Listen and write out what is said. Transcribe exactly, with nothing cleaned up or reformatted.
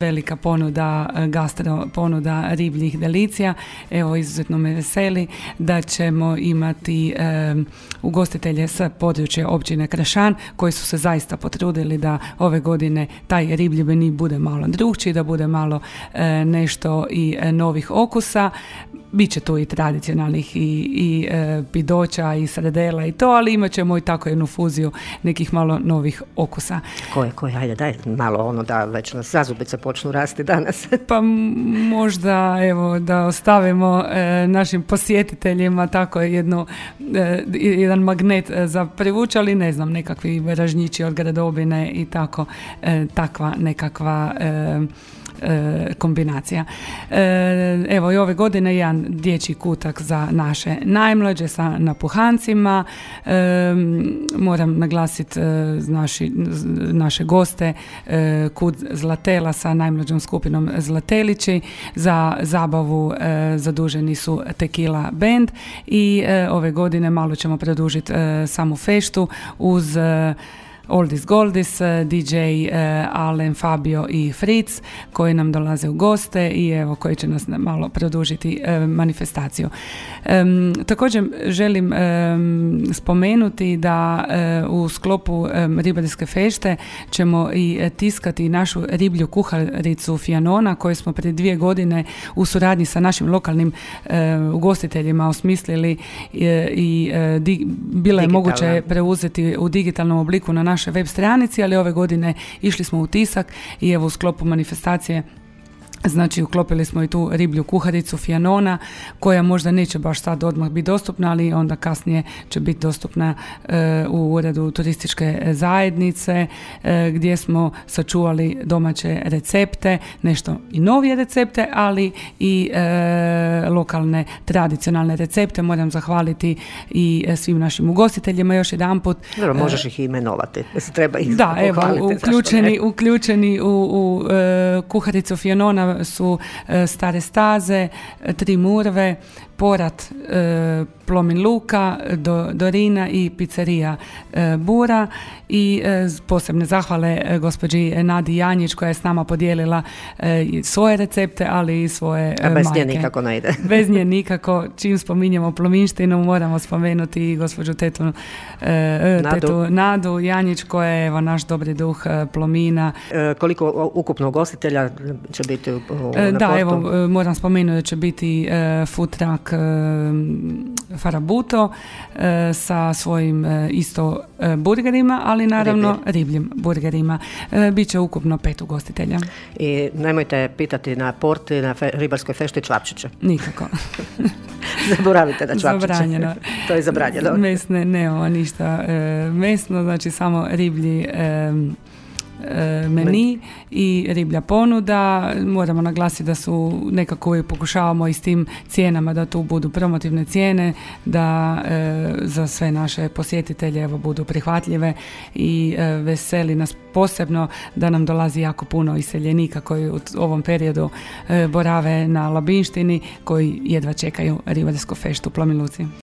velika ponuda, gastro ponuda ribljih delicija. Evo, izuzetno me veseli da ćemo imati e, ugostitelje sa područja općine Kršan koji su se zaista potrudili da ove godine taj riblji meni bude malo drukčiji, da bude malo e, nešto i e, novih okusa. Biće tu i tradicionalnih i, i e, pidoća i sredela i to, ali imat ćemo i tako jednu fuziju nekih malo novih okusa. Koje, koje, ajde, daj malo ono da već nas zazubice počnu rasti danas. Pa možda, evo, da ostavimo e, našim posjetiteljima tako jednu, e, jedan magnet za privući, ali ne znam, nekakvi ražnjići od gradobine i tako, e, takva nekakva e, kombinacija. Evo i ove godine jedan dječji kutak za naše najmlađe sa napuhancima. Moram naglasiti naši, naše goste Kud Zlatela sa najmlađom skupinom Zlatelići. Za zabavu zaduženi su Tequila Band i ove godine malo ćemo produžiti samu feštu uz Oldis Goldis, D J Alen, Fabio i Fritz koji nam dolaze u goste i evo koji će nas malo produžiti e, manifestaciju. E, također želim e, spomenuti da e, u sklopu e, ribarske fešte ćemo i tiskati našu riblju kuharicu Fianona koju smo prije dvije godine u suradnji sa našim lokalnim e, ugostiteljima osmislili e, i e, di, bilo je moguće preuzeti u digitalnom obliku na naš web stranici, ali ove godine išli smo u tisak i evo u sklopu manifestacije znači uklopili smo i tu riblju kuharicu Fianona koja možda neće baš sad odmah biti dostupna, ali onda kasnije će biti dostupna e, u uredu turističke zajednice e, gdje smo sačuvali domaće recepte, nešto i novije recepte, ali i e, lokalne tradicionalne recepte. Moram zahvaliti i svim našim ugostiteljima još jedanput. Dobro, možeš ih imenovati. Treba ih da, evo, uključeni, uključeni u, u e, kuharicu Fianona su e, Stare staze, Tri murve, Porat, e, Plomin Luka, do, Dorina i pizzerija e, Bura i e, posebne zahvale e, gospođi Nadi Janjić koja je s nama podijelila e, svoje recepte, ali i svoje e, A bez majke. nje nikako ne ide. Bez nje nikako. Čim spominjemo plominštinu moramo spomenuti i gospođu tetu, e, Nadu. tetu Nadu Janjić koja je evo, naš dobri duh e, Plomina. E, koliko ukupno ugostitelja će biti u, u, e, na Da, portu? evo moram spomenuti da će biti e, food truck Farabuto e, sa svojim e, isto e, burgerima, ali naravno Riblje. ribljim burgerima. E, Biće ukupno pet ugostitelja. I nemojte pitati na porti, na fe, ribarskoj fešti čvapčiće. Nikako. Zaboravite da čvapčiće. Zabranjeno. To je zabranjeno. Mesne, nemamo ništa e, mesno, znači samo riblji e, meni i riblja ponuda. Moramo naglasiti da su nekako uvijek pokušavamo i s tim cijenama da tu budu promotivne cijene, da e, za sve naše posjetitelje evo, budu prihvatljive i e, veseli nas posebno da nam dolazi jako puno iseljenika koji u ovom periodu e, borave na Labinštini, koji jedva čekaju ribarsku feštu u Plomin Luci.